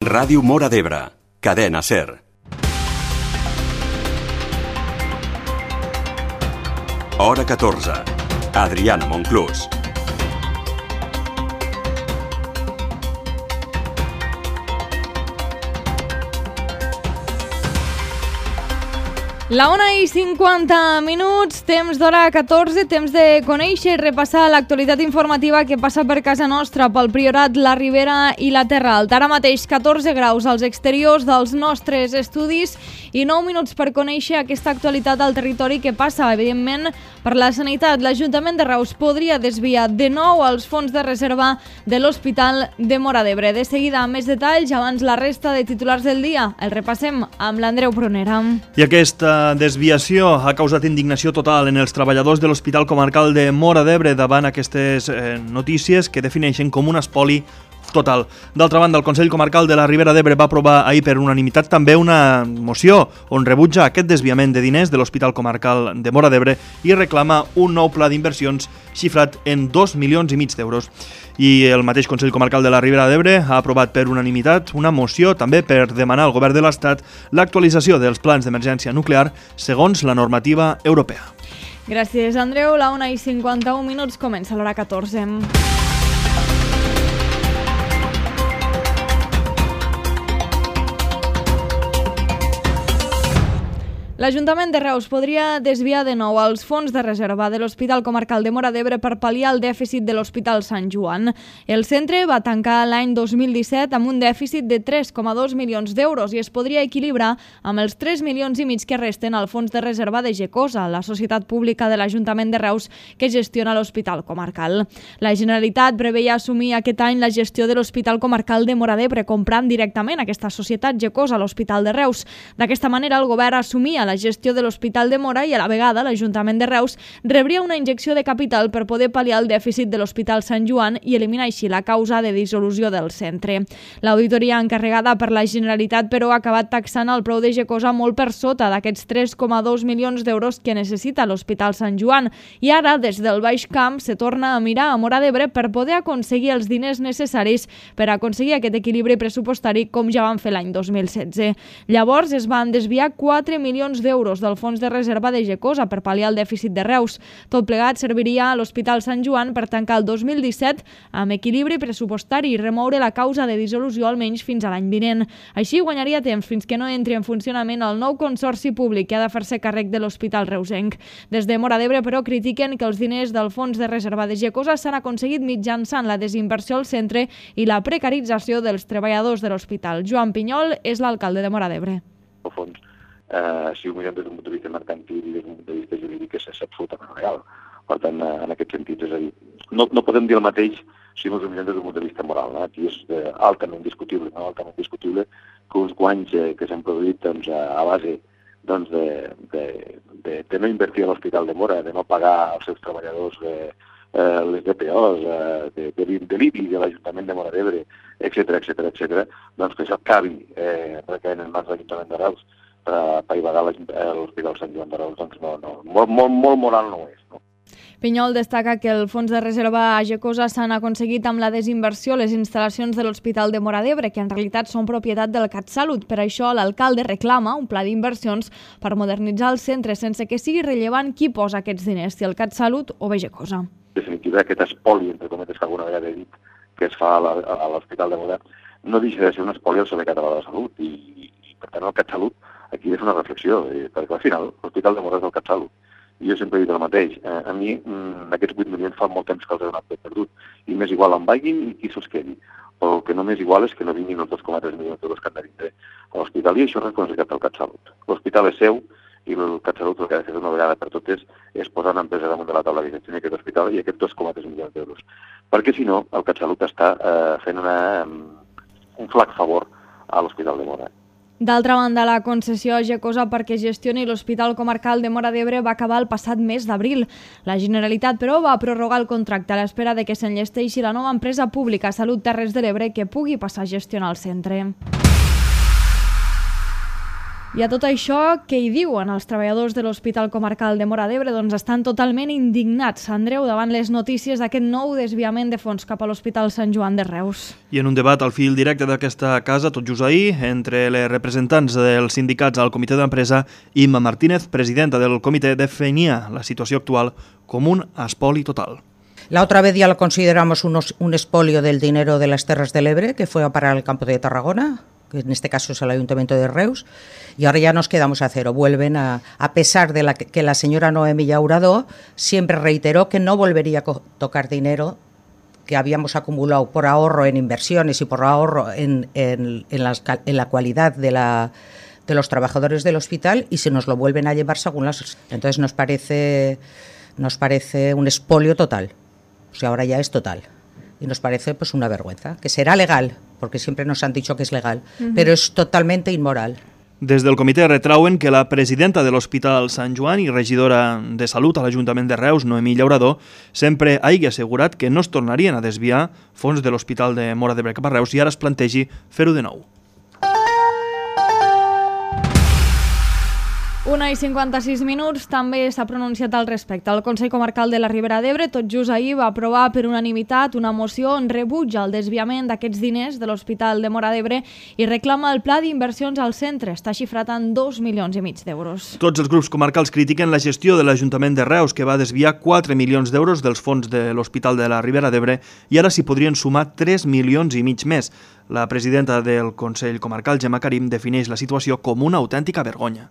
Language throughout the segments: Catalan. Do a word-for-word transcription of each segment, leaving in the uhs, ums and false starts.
Ràdio Móra d'Ebre, cadena SER. Hora catorze. Adriana Monclús. La una i cinquanta minuts, temps d'hora catorze, temps de conèixer i repassar l'actualitat informativa que passa per casa nostra, pel Priorat, la Ribera i la Terra Alta. Ara mateix catorze graus als exteriors dels nostres estudis i nou minuts per conèixer aquesta actualitat al territori que passa, evidentment, per la sanitat. L'Ajuntament de Reus podria desviar de nou els fons de reserva de l'Hospital de Móra d'Ebre. De seguida, més detalls, abans la resta de titulars del dia. El repassem amb l'Andreu Prunera. I aquesta desviació ha causat indignació total en els treballadors de l'Hospital Comarcal de Móra d'Ebre davant aquestes eh, notícies que defineixen com un espoli total. D'altra banda, el Consell Comarcal de la Ribera d'Ebre va aprovar ahir per unanimitat també una moció on rebutja aquest desviament de diners de l'Hospital Comarcal de Móra d'Ebre i reclama un nou pla d'inversions xifrat en dos milions i mig d'euros. I el mateix Consell Comarcal de la Ribera d'Ebre ha aprovat per unanimitat una moció també per demanar al Govern de l'Estat l'actualització dels plans d'emergència nuclear segons la normativa europea. Gràcies, Andreu. La una i cinquanta-un minuts, comença l'hora catorze. L'Ajuntament de Reus podria desviar de nou els fons de reserva de l'Hospital Comarcal de Móra d'Ebre per pal·liar el dèficit de l'Hospital Sant Joan. El centre va tancar l'any dos mil disset amb un dèficit de tres coma dos milions d'euros i es podria equilibrar amb els tres milions i mig que resten al fons de reserva de Gecosa, la societat pública de l'Ajuntament de Reus que gestiona l'Hospital Comarcal. La Generalitat preveia assumir aquest any la gestió de l'Hospital Comarcal de Móra d'Ebre, comprant directament aquesta societat Gecosa a l'Hospital de Reus. D'aquesta manera, el govern assumia la gestió de l'Hospital de Móra i a la vegada l'Ajuntament de Reus rebria una injecció de capital per poder pal·liar el dèficit de l'Hospital Sant Joan i eliminar així la causa de dissolució del centre. L'auditoria encarregada per la Generalitat, però, ha acabat taxant el preu de Gecosa molt per sota d'aquests tres coma dos milions d'euros que necessita l'Hospital Sant Joan i ara, des del Baix Camp, se torna a mirar a Móra d'Ebre per poder aconseguir els diners necessaris per aconseguir aquest equilibri pressupostari com ja van fer l'any dos mil setze. Llavors es van desviar quatre milions d'euros del fons de reserva de Gecosa per pal·liar el dèficit de Reus. Tot plegat serviria a l'Hospital Sant Joan per tancar el dos mil disset amb equilibri pressupostari i remoure la causa de dissolució almenys fins a l'any vinent. Així guanyaria temps fins que no entri en funcionament el nou consorci públic que ha de fer-se càrrec de l'Hospital reusenc. Des de Móra d'Ebre, però, critiquen que els diners del fons de reserva de Gecosa s'han aconseguit mitjançant la desinversió al centre i la precarització dels treballadors de l'hospital. Joan Pinyol és l'alcalde de Móra d'Ebre. Al fons, Uh, si ho mirem des d'un punt de vista mercantil i des d'un punt de vista jurídic és absolutament real. Per tant, uh, en aquest sentit, és a dir, no, no podem dir el mateix si ens ho mirem des d'un punt de vista moral. No? Aquí és uh, altament discutible, no? altament discutible que uns guanys eh, que s'han produït doncs, a base doncs, de, de, de, de no invertir a l'Hospital de Móra, de no pagar als seus treballadors eh, eh, les D P Os, eh, de, de, de l'I B I, de l'Ajuntament de Móra d'Ebre, etcètera, etcètera, etcètera, doncs que això acabi eh, recaient en mans de l'Ajuntament de Reus per apaivagar l'Hospital Sant Joan de Reus, doncs no, no, molt, molt, molt moral no és. No? Pinyol destaca que el fons de reserva a Gecosa s'han aconseguit amb la desinversió les instal·lacions de l'Hospital de Móra d'Ebre, que en realitat són propietat del CatSalut. Per això l'alcalde reclama un pla d'inversions per modernitzar el centre sense que sigui rellevant qui posa aquests diners, si el CatSalut o bé Gecosa. En definitiva, aquest espoli, entre cometes, que alguna vegada he dit, que es fa a l'Hospital de Móra, no deixa de ser un espoli al Servei Català de la Salut i, i per tant el CatSalut aquí és una reflexió, eh, perquè al final l'Hospital de Móra és el CatSalut. I jo sempre he dit el mateix. Eh, a mi mm, aquests vuit milions fa molt temps que els he donat per perdut. I m'és igual on vagin i qui se'ls quedi. Però el que no m'és igual és que no vinguin els dos coma tres milions d'euros que han de vindre a l'hospital i això és responsabilitat del CatSalut. L'hospital és seu i el CatSalut el que ha de fer una vegada per totes és posar una empresa damunt de la taula de gestió d'aquest hospital i aquests dos coma tres milions d'euros. Perquè si no, el CatSalut està eh, fent una, un flac favor a l'Hospital de Móra. D'altra banda, la concessió a Gecosa perquè gestioni l'Hospital Comarcal de Móra d'Ebre va acabar el passat mes d'abril. La Generalitat, però, va prorrogar el contracte a l'espera de que s'enllesteixi la nova empresa pública Salut Terres de l'Ebre que pugui passar a gestionar el centre. I a tot això, què hi diuen els treballadors de l'Hospital Comarcal de Móra d'Ebre? Doncs estan totalment indignats, Andreu, davant les notícies d'aquest nou desviament de fons cap a l'Hospital Sant Joan de Reus. I en un debat al fil directe d'aquesta casa, tot just ahir, entre les representants dels sindicats al comitè d'empresa, Imma Martínez, presidenta del comitè, definia la situació actual com un espoli total. La otra vez ya lo consideramos unos, un expolio del dinero de las Terras del Ebre, que fue a parar al campo de Tarragona, que en este caso es el Ayuntamiento de Reus, y ahora ya nos quedamos a cero. Vuelven a, a pesar de la, que la señora Noemí Llauradó siempre reiteró que no volvería a tocar dinero que habíamos acumulado por ahorro en inversiones y por ahorro en, en, en, las, en la cualidad de, la, de los trabajadores del hospital, y se nos lo vuelven a llevar según las... Entonces nos parece, nos parece un expolio total. O sea, ahora ya es total. Y nos parece pues una vergüenza, que será legal, porque siempre nos han dicho que es legal, uh-huh. pero es totalmente inmoral. Des del comitè retrauen que la presidenta de l'Hospital Sant Joan i regidora de Salut a l'Ajuntament de Reus, Noemí Llauradó, sempre hagi assegurat que no es tornarien a desviar fons de l'Hospital de Móra d'Ebre cap a Reus i ara es plantegi fer-ho de nou. Una i cinquanta-sis minuts, també s'ha pronunciat al respecte. El Consell Comarcal de la Ribera d'Ebre tot just ahir va aprovar per unanimitat una moció on rebutja el desviament d'aquests diners de l'Hospital de Móra d'Ebre i reclama el pla d'inversions al centre. Està xifrat en dos milions i mig d'euros. Tots els grups comarcals critiquen la gestió de l'Ajuntament de Reus, que va desviar quatre milions d'euros dels fons de l'Hospital de la Ribera d'Ebre i ara s'hi podrien sumar tres milions i mig més. La presidenta del Consell Comarcal, Gemma Karim, defineix la situació com una autèntica vergonya.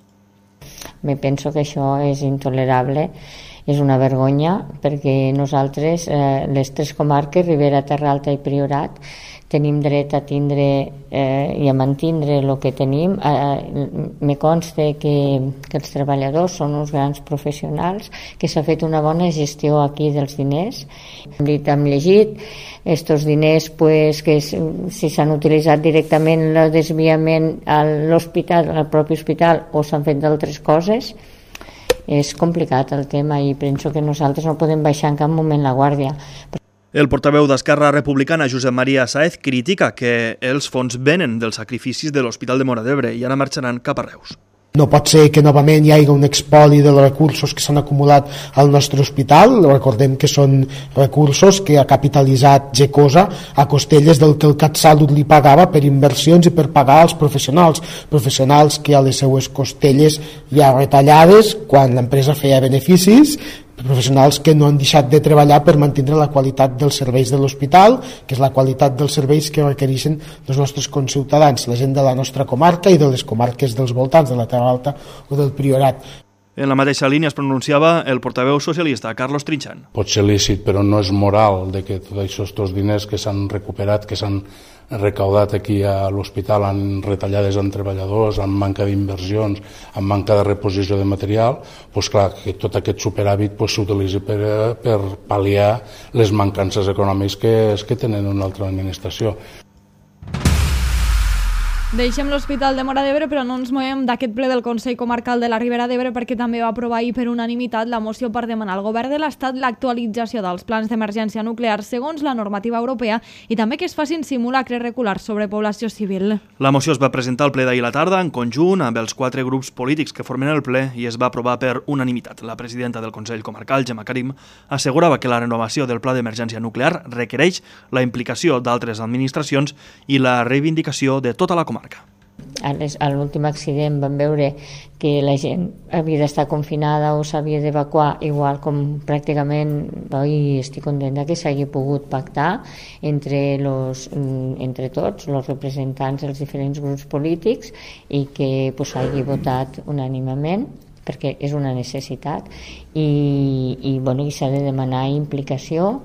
Me penso que això és intolerable, és una vergonya, perquè nosaltres, eh, les tres comarques, Ribera, Terra Alta i Priorat, tenim dret a tindre eh, i a mantindre el que tenim. Eh, me consta que, que els treballadors són uns grans professionals, que s'ha fet una bona gestió aquí dels diners. Hem dit, hem llegit, estos diners pues, que si s'han utilitzat directament el desviament a l'hospital, al propi hospital, o s'han fet d'altres coses. És complicat el tema i penso que nosaltres no podem baixar en cap moment la guàrdia. El portaveu d'Esquerra Republicana, Josep Maria Sáez, critica que els fons venen dels sacrificis de l'Hospital de Móra d'Ebre i ara marxaran cap a Reus. No pot ser que novament hi hagi un expoli dels recursos que s'han acumulat al nostre hospital. Recordem que són recursos que ha capitalitzat Gecosa a costelles del que el CatSalut li pagava per inversions i per pagar als professionals. Professionals que a les seues costelles hi ha retallades quan l'empresa feia beneficis, professionals que no han deixat de treballar per mantenir la qualitat dels serveis de l'hospital, que és la qualitat dels serveis que requereixen els nostres conciutadans, la gent de la nostra comarca i de les comarques dels voltants, de la Terra Alta o del Priorat. En la mateixa línia es pronunciava el portaveu socialista, Carlos Trinxant. Pot ser lícit, però no és moral de que tots aquests diners que s'han recuperat, que s'han recaudat aquí a l'hospital en retallades en treballadors, en manca d'inversions, en manca de reposició de material, doncs clar, que tot aquest superàvit s'utilitzi per, per pal·liar les mancances econòmiques que, que tenen una altra administració. Deixem l'Hospital de Móra d'Ebre, però no ens movem d'aquest ple del Consell Comarcal de la Ribera d'Ebre perquè també va aprovar ahir per unanimitat la moció per demanar al Govern de l'Estat l'actualització dels plans d'emergència nuclear segons la normativa europea i també que es facin simulacres regulars sobre població civil. La moció es va presentar al ple d'ahir a la tarda en conjunt amb els quatre grups polítics que formen el ple i es va aprovar per unanimitat. La presidenta del Consell Comarcal, Gemma Karim, assegurava que la renovació del pla d'emergència nuclear requereix la implicació d'altres administracions i la reivindicació de tota la comarca. A l'últim accident vam veure que la gent havia d'estar confinada o s'havia d'evacuar, igual com pràcticament i estic contenta que s'hagi pogut pactar entre, los, entre tots els representants dels diferents grups polítics i que s'hagi pues, votat unànimament perquè és una necessitat i, i, bueno, i s'ha de demanar implicació.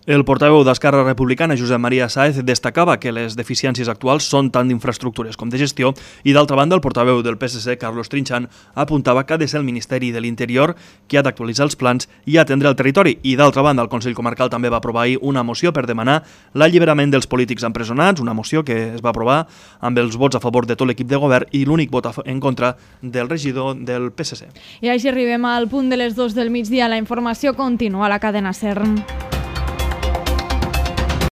El portaveu d'Esquerra Republicana, Josep Maria Sáez, destacava que les deficiències actuals són tant d'infraestructures com de gestió i, d'altra banda, el portaveu del P S C, Carlos Trinxant, apuntava que ha de ser el Ministeri de l'Interior qui ha d'actualitzar els plans i atendre el territori. I, d'altra banda, el Consell Comarcal també va aprovar ahir una moció per demanar l'alliberament dels polítics empresonats, una moció que es va aprovar amb els vots a favor de tot l'equip de govern i l'únic vot en contra del regidor del P S C. I així arribem al punt de les dues del migdia. La informació continua a la cadena SER.